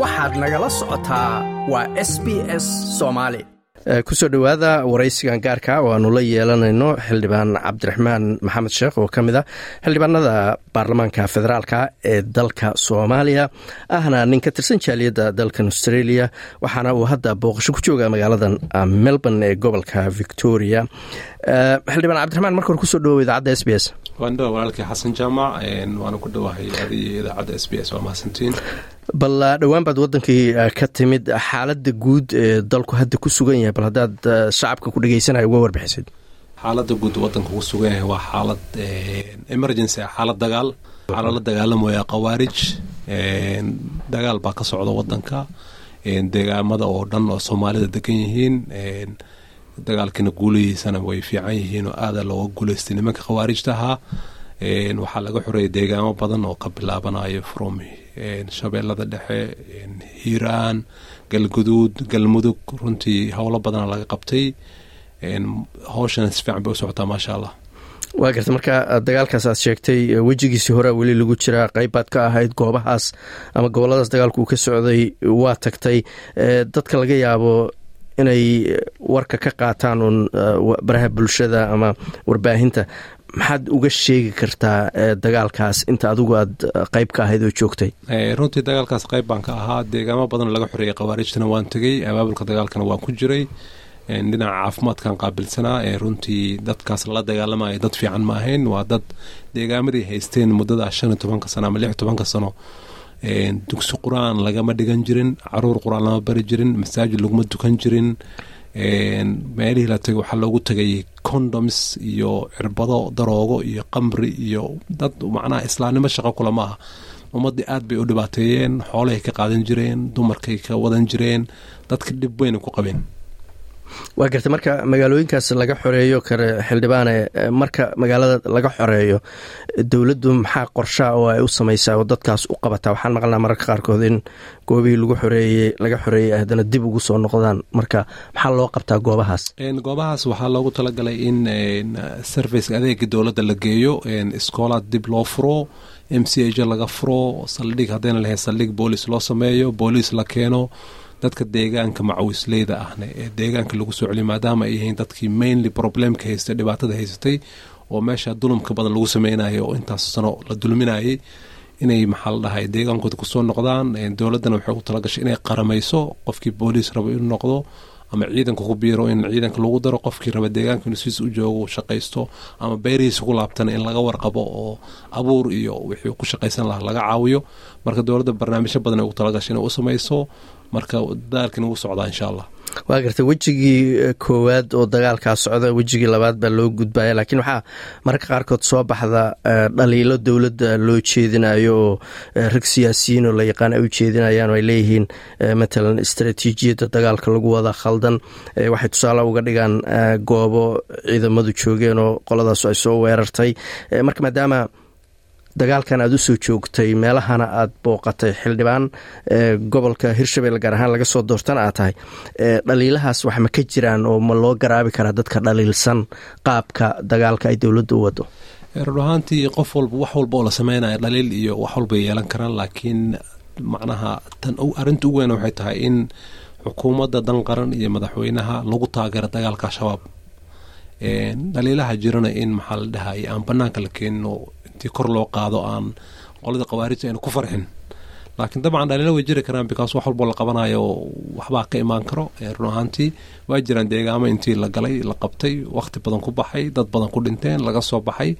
Waxaad nagala socotaa waa SBS Soomaali. Kusoo dhowaada waraysigan gaarka oo aanu la yeelanayno Xildhibaan Cabdiraxmaan Maxamed Sheekh, oo ka mid ah xildhibaanada baarlamaanka federaalka ee dalka Soomaaliya, ahna nin ka tirsan jaaliyadda dalkan Australia, waxaana uu hadda booqasho ku jooga magaaladan Melbourne ee gobolka Victoria. Xildhibaan Cabdiraxmaan, marka hore kusoo dhawow idaacadda SBS. Waan dhawa, walaalkii Xasan Jaamac, waana ku dhowahay adiyo idaacadda SBS. Waa mahadsantiin. Bal dhowaan baad wadankii ka timid. Xaaladda guud ee dalku hadda ku sugan yahay, bal haddaad shacabka ku dhegeysanaya uga warbixisid. Xaaladda guud wadanka ku sugan yahay waa xaalad emergency ah, xaalad dagaal. Waxaa lala dagaalamaya Khawaarij. Dagaal baa ka socda wadanka, deegaamada oo dhan oo Soomaalida degan yihiin. Dagaalkiina guulihiisana way fiican yihiin oo aada looga guuleystay nimanka Khawaarijta ahaa. Waxaa laga xoreeyay deegaamo badan oo ka bilaabanayo from Shabeellada Dhexe, Hiiraan, Galguduud, Galmudug. Runtii howlo badana laga qabtay. Howshana si fiican bay u socotaa, maasha Allah. Waa garta. Marka dagaalkaas aad sheegtay wejigiisii horea weli lagu jiraa. Qayb baad ka ahayd goobahaas ama goboladaas dagaalku uu ka socday, waa tagtay. Dadka laga yaabo inay warka ka qaataan uun baraha bulshada ama warbaahinta, maxaad uga sheegi kartaa dagaalkaas inta adigu aad qayb ka ahayd oo joogtay? Runtii dagaalkaas qayb baan ka ahaa. Deegaamo badan laga xoreeyay Khawaarijtana waan tegey, abaabulka dagaalkana waan ku jiray. Dhinaca caafimaadkan qaabilsanaa. Runtii dadkaas lala dagaalamaya dad fiican ma ahayn. Waa dad deegaamadii haysteen muddada 15-ka sano ama 16-ka sano dugsi Qur-aan lagama dhigan jirin, caruur Qur-aan lama bari jirin, masaajid laguma dukan jirin. Meelihii la tagay waxaa loogu tagay condoms iyo cirbado daroogo iyo qamri iyo dad macnaha islaamnimo shaqo kula ma aha. Ummaddii aad bay u dhibaateeyeen, xoolahay ka qaadan jireen, dumarkay ka wadan jireen, dadka dhib weyna ku qabeen. Waa gartay. Marka magaalooyinkaas laga xoreeyo kare, xildhibaane, marka magaalada laga xoreeyo, dowladdu maxaa qorshaa oo ay u samaysaa oo dadkaas u qabataa? Waxaan maqalnaa mararka qaarkood in goobihii lagu xoreeyey, laga xoreeyey, haddana dib ugu soo noqdaan. Marka maxaa loo qabtaa goobahaas? Goobahaas waxaa loogu talagalay in service, adeega dowladda la geeyo, iskoolaad dib loo furo, MCH laga furo, saldhig haddayna lahayn saldhig boolis loo sameeyo, booliis la keeno, dadka deegaanka macawisleyda ahna ee deegaanka lagu soo celiyo, maadaama ay yihiin dadkii mainly problemka haystay, dhibaatada haysatay oo meesha dulumka badan lagu sameynayo oo intaas sano la dulminayay, inay, maxaa la dhahay, deegaankooda kusoo noqdaan. Dowladdana waxay u talagashay inay qaramayso. Qofkii booliis rabo inuu noqdo ama ciidanka ku biiro, in ciidanka lagu daro. Qofkii raba deegaanka inuu sidiis u joogo, shaqaysto ama beerihiisa ku laabtana, in laga warqabo oo abuur iyo wixii ku shaqaysan lahaa laga caawiyo. Marka dowladda barnaamijyo badan ay ugu talagashay inay u samayso. Marka dadaalkiina wuu socdaa, insha Allah. Waa gartay. Wejigii koowaad oo dagaalkaa socda, wejigii labaad baa loo gudbaya, laakiin waxaa mararka qaarkood soo baxda dhaliilo dowladda loo jeedinayo oo rag siyaasiyiin oo la yaqaan ay u jeedinayaan oo ay leeyihiin, matalan, istaraatiijiyadda dagaalka lagu wada khaldan. Waxay tusaale uga dhigaan goobo ciidamadu joogeen oo qoladaas ay soo weerartay. Marka maadaama dagaalkan aad usoo joogtay, meelahana aad booqatay, xildhibaan gobolka Hirshabelle gaar ahaan laga soo doortana aad tahay, dhaliilahaas wax ma ka jiraan oo ma loo garaabi karaa dadka dhaliilsan qaabka dagaalka ay dowladda u wado? Run ahaantii qof walba, wax walba oo la sameynaya, dhaliil iyo wax walbay yeelan karaan, laakiin macnaha tan arrinta ugu weyn waxay tahay in xukuumadda dan qaran iyo madaxweynaha lagu taageero dagaalka Al-Shabaab. Dhaliilaha jirana in, maxaa la dhahay, aan banaanka la keenin oo intii kor loo qaado aan qolada Khawaarijta ayna ku farxin. Laakiin dabcan dhaliilo way jiri karaan, because wax walboo la qabanayo waxbaa ka imaan karo. Run ahaantii waa jiraan deegaamo intii la galay, la qabtay, waqti badan ku baxay, dad badan ku dhinteen, laga soo baxay.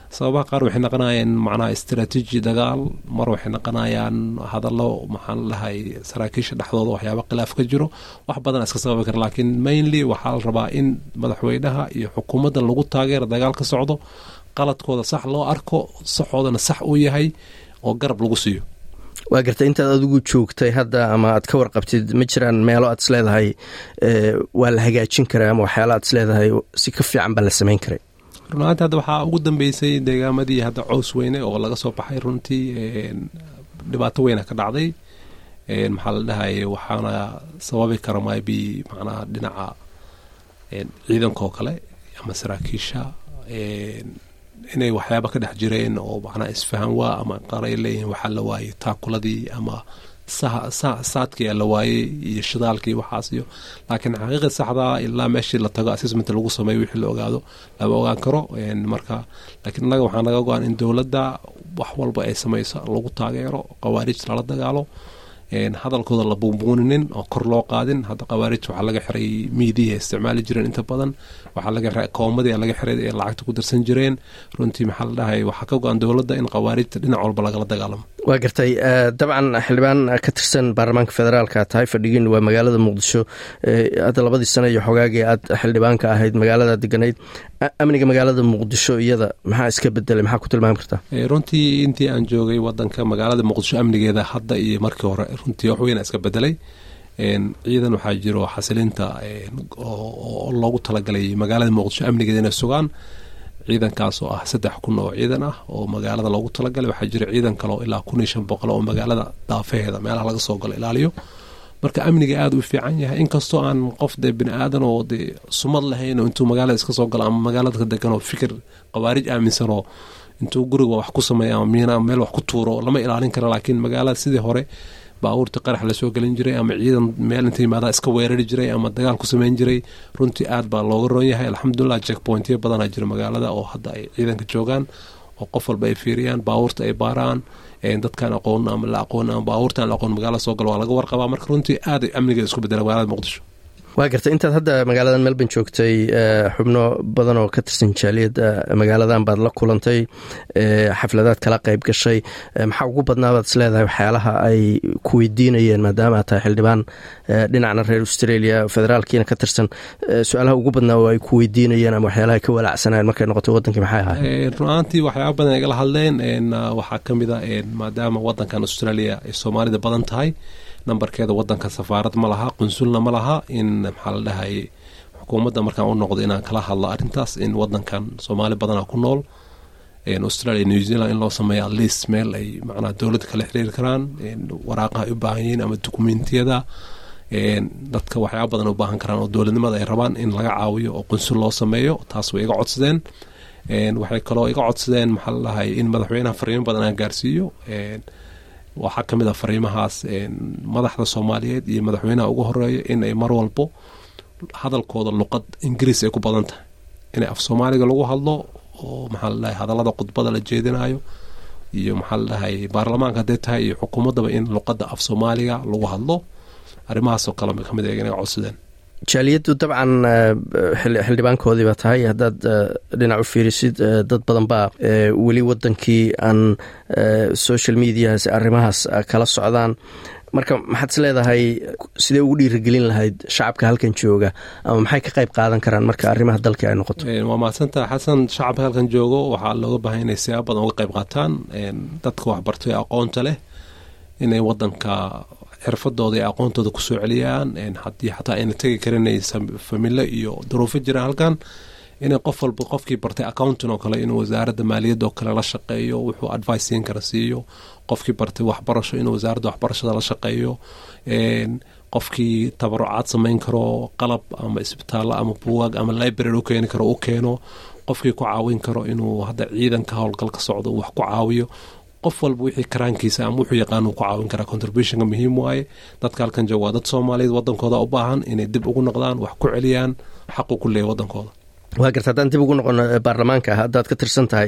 Sababaha qaar waxay naqonayaan macnaha istaraatiiji dagaal, mar waxay naqonayaan hadallo, maxaa la dhahay, saraakiisha dhexdooda waxyaaba khilaaf ka jiro. Wax badan iska sababi kara, laakiin mainly waxaa la rabaa in madaxweynaha iyo xukuumadda lagu taageero dagaal ka socdo, qaladkooda sax loo arko, saxoodana sax uu yahay oo garab lagu siiyo. Waa gartay. Intaad adigu joogtay hadda ama aad ka warqabtid, ma jiraan meelo aad isleedahay waa la hagaajin karaa ama waxyaala aad isleedahay si ka fiican baa la samayn karay? Run ahaanti hadda waxaa ugu dambeysay deegaamadii hadda Cows Weyne oo laga soo baxay. Runtii dhibaato weyna ka dhacday, maxaa la dhahay, waxaana sababi kara maybe macnaha dhinaca ciidanka oo kale ama saraakiisha inay waxyaaba ka dhex jireen oo macnaha isfahan waa ama qaar ay leeyihiin waxaa la waayay taakuladii ama Saadkii la waayey iyo shidaalkii waxaas iyo, laakiin xaqiiqi saxdaa ilaa meeshii la tago, assessment lagu sameeyo, wixii la ogaado lama ogaan karo. Marka laakiin annaga waxaa naga go-an in dowladda wax walba ay samayso lagu taageero, khawaarij lala dagaalo, hadalkooda la buunbuuninin oo kor loo qaadin. Hadda khawaarij waxaa laga xiray miidiyaha isticmaali jireen inta badan, waxaa laga xiray akoomadii laga xiray ee lacagta ku darsan jireen. Runtii, maxaa la dhahay, waxaa ka go-an dowladda in khawaarijta dhinac walba lagala dagaalamo. Waa gartay. Dabcan xildhibaan ka tirsan baarlamaanka federaalka tahay, fadhigiin waa magaalada Muqdisho. Hadda 2dii sano iyo xogaagii aad xildhibaanka ahayd magaalada deganayd, amniga magaalada Muqdisho iyada maxaa iska bedelay? Maxaa ku tilmaami kartaa? Runtii intii aan joogay wadanka, magaalada Muqdisho amnigeeda hadda iyo markii hore runtii wax weyn iska bedelay. Ciidan waxaa jiro xasilinta oo loogu talagalay magaalada Muqdisho amnigeeda inay sugaan, ciidankaas oo ah 3000 oo ciidan ah oo magaalada loogu talagalay. Waxaa jira ciidan kale oo ilaa 1500 oo magaalada daafaheeda meelaha laga soo galo ilaaliyo. Marka amniga aada u fiican yahay, inkastoo aan qof dee bini aadan oo dee sumad lahayn oo intuu magaalada iska soo galo ama magaalada ka degan oo fikir khawaarij aaminsan oo intuu guriga wax ku sameeya ama miina ama meel wax ku tuuro, lama ilaalin karo. Laakiin magaalada sidii hore baabuurta qarax lasoo gelin jiray ama ciidan meel inta yimaadaa iska weerari jiray ama dagaal ku sameyn jiray, runtii aad baa looga roon yahay, alxamdulilah. Checkpointyo badanaa jira magaalada oo hadda ay ciidanka joogaan oo qof walba ay fiiriyaan, baabuurta ay baaraan, dadkaan aqoon ama la aqoon ama baabuurtaan la aqoon magaalada soo galo waa laga warqabaa. Marka runtii aad ay amniga isku bedela magaalada Muqdisho. Waa gartay. Intaad hadda magaaladan Melbourne joogtay, xubno badan oo ka tirsan jaaliyadda magaaladan baad la kulantay, xafladaad kala qayb gashay. Maxaa ugu badnaabaad is leedahay waxyaalaha ay ku weydiinayeen, maadaama aad tahay xildhibaan dhinacna reer Australia federaalkiina ka tirsan? Su-aalaha ugu badnaa oo ay ku weydiinayeen ama waxyaalaha ay ka walaacsanayeen markay noqotay wadankii maxay ahayd? Run ahaantii waxyaaba badan igala hadleen. Waxaa ka mid a, maadaama wadankan Australia ay Soomaalida badan tahay nambarkeeda, wadanka safaarad ma laha, qunsulna ma laha, in maxaa la dhahay xukuumadda markaan u noqdo inaan kala hadlo arrintaas, in wadankan Soomaali badanaa ku nool Australia, New Zealand, in loo sameeyo at least meel ay macnaha dowladda kala xiriiri karaan, waraaqaha ay u baahan yihiin ama dukumentiyada dadka waxyaaba badan u baahan karaan oo dowladnimada ay rabaan in laga caawiyo oo qunsul loo sameeyo. Taas way iga codsadeen. Waxay kaloo iga codsadeen, maxaa la dhahay, in madaxweynaha fariimo badan aan gaarsiiyo. Waxaa ka mid a fariimahaas madaxda Soomaaliyeed iyo madaxweynaha ugu horeeya in ay mar walbo hadalkooda luqad Ingiriis ay ku badan tahay, inay af Soomaaliga lagu hadlo oo maxaa la dhahay hadallada khudbada la jeedinayo iyo maxaa la dhahay baarlamaanka hadday tahay iyo xukuumaddaba in luqadda af Soomaaliga lagu hadlo. Arrimahaasoo kale kamid a inay codsadeen. Jaaliyaddu dabcan xildhibaankoodii baa tahay. Haddaad dhinac u fiirisid, dad badan baa weli wadankii aan social mediahaas arrimahaas kala socdaan. Marka maxaad is leedahay, sidee ugu dhiirigelin lahayd shacabka halkan jooga ama maxay ka qayb qaadan karaan marka arrimaha dalka ay noqoto? Waa mahadsantaha, Xasan. Shacabka halkan joogo waxaa looga baahan inay siyaabo badan uga qayb qaataan. Dadka waxbartay, aqoonta leh, inay wadanka xirfadooda iyo aqoontooda kusoo celiyaan. Haddii xataa ayna tegi karin, familo iyo duruufo jiraan halkan, inay qof walba, qofkii bartay accounting oo kale, inuu wasaaradda maaliyadda oo kale la shaqeeyo, wuxuu advice siin kara siiyo. Qofkii bartay waxbarasho, inuu wasaaradda waxbarashada la shaqeeyo. Qofkii tabarucaad samayn karo, qalab ama isbitaallo ama buugaag ama library u keeni karo, u keeno. Qofkii ku caawin karo inuu hadda ciidanka howlgal ka socdo wax ku caawiyo. Qof walba wixii karaankiisa ama wuxuu yaqaan uu ku caawin karaa. Contributionka muhiim waaye. Dadka halkan jooga waa dad Soomaaliyeed, wadankooda u baahan inay dib ugu noqdaan, wax ku celiyaan, xaqu ku leeyahy wadankooda. Waa garta. Haddaan dib ugu noqono baarlamaanka haddaad ka tirsan tahay,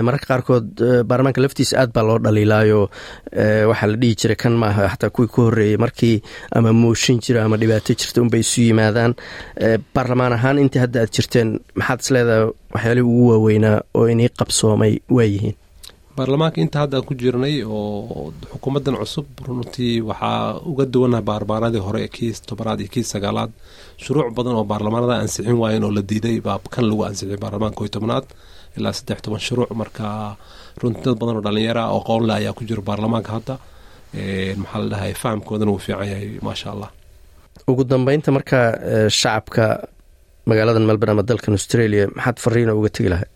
mararka qaarkood baarlamaanka laftiisa aad baa loo dhaliilaayo. Waxaa la dhihi jiray kan maaha, xataa kuwii ka horreeyey, markii ama mooshin jira ama dhibaato jirta unbay isu yimaadaan. Baarlamaan ahaan intii hadda aad jirteen, maxaad is leedahay waxyaalihii ugu waaweynaa oo inii qabsoomay waa yihiin? Baarlamaanka inta hadda aan ku jirnay oo xukuumaddan cusub, runtii waxaa uga duwanahay baarlamaanadii hore, kii 10aad iyo kii 9aad. Shuruuc badan oo baarlamaanada ansixin waayeen oo la diiday baa kan lagu ansixiyay baarlamaanka 11aad, ilaa 13 shuruuc. Marka runtii dad badan oo dhalinyara oo qoon leh ayaa ku jira baarlamaanka hadda, maxaa la dhahay, fahamkoodana wuu fiican yahay, maasha Allah. Ugu dambeynta marka, shacabka magaalada Melbourne ama dalkan Australia maxaad fariina uga tegi lahay?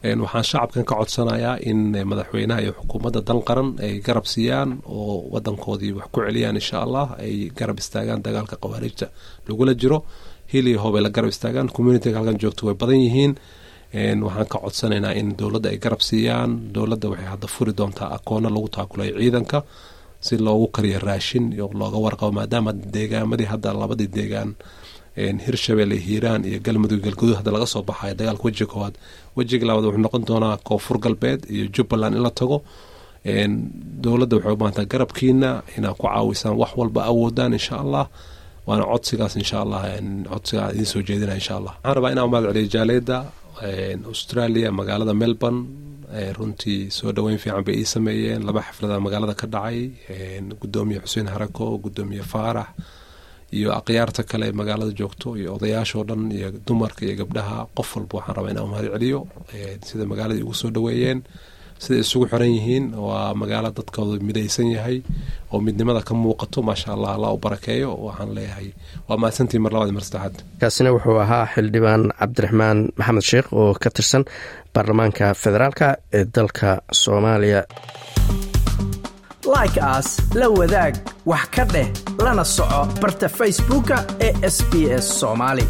Waxaan shacabkan ka codsanayaa in madaxweynaha iyo xukuumadda dan qaran ay garab siiyaan oo wadankoodii wax ku celiyaan, insha Allah, ay garab istaagaan dagaalka khawaariijta lagula jiro, hil iyo hoob ay la garab istaagaan. Communityga halkan joogto way badan yihiin. Waxaan ka codsanaynaa in dowladda ay garab siiyaan. Dowladda waxay hadda furi doontaa akoono lagu taakulayo ciidanka. Si loogu kariyo raashin iyo looga warqabo, maadaama deegaamadii hadda labadii deegaan, Hirshabelle, Hiiraan iyo Galmudug, Galguduud, hadda laga soo baxayo dagaalka wejiga koowaad. Wejiga labaad wuxuu noqon doonaa Koonfur Galbeed iyo Jubbaland in la tago. Dowladda waxay u baahantaa garabkiina inaad ku caawisaan wax walba awoodaan, insha Allah. Waana codsigaas, insha Allah, codsigaa idiin soo jeedina, insha Allah. Waxaan rabaa inaan mahad celiyo jaaliyadda Australia, magaalada Melbourne. Runtii soo dhoweyn fiican bay ii sameeyeen. Laba xaflada magaalada ka dhacay. Gudoomiye Xuseen Harako, Gudoomiye Faarax iyo akhyaarta kale magaalada joogto iyo odayaashoo dhan iyo dumarka iyo gabdhaha, qof walba waxaan rabaa inaan mahad celiyo sida magaalada igu soo dhoweeyeen, siday isugu xiran yihiin. Waa magaalo dadkooda midaysan yahay oo midnimada ka muuqato. Maasha Allah, Allah u barakeeyo. Waxaan leeyahay waa mahadsantii mar labaad, mar saddexaad. Kaasina wuxuu ahaa Xildhibaan Cabdiraxmaan Maxamed Sheekh oo ka tirsan baarlamaanka federaalka ee dalka Soomaaliya. Like saar, la wadaag, wax ka dheh, lana soco barta Facebooka ee SBS Soomaali.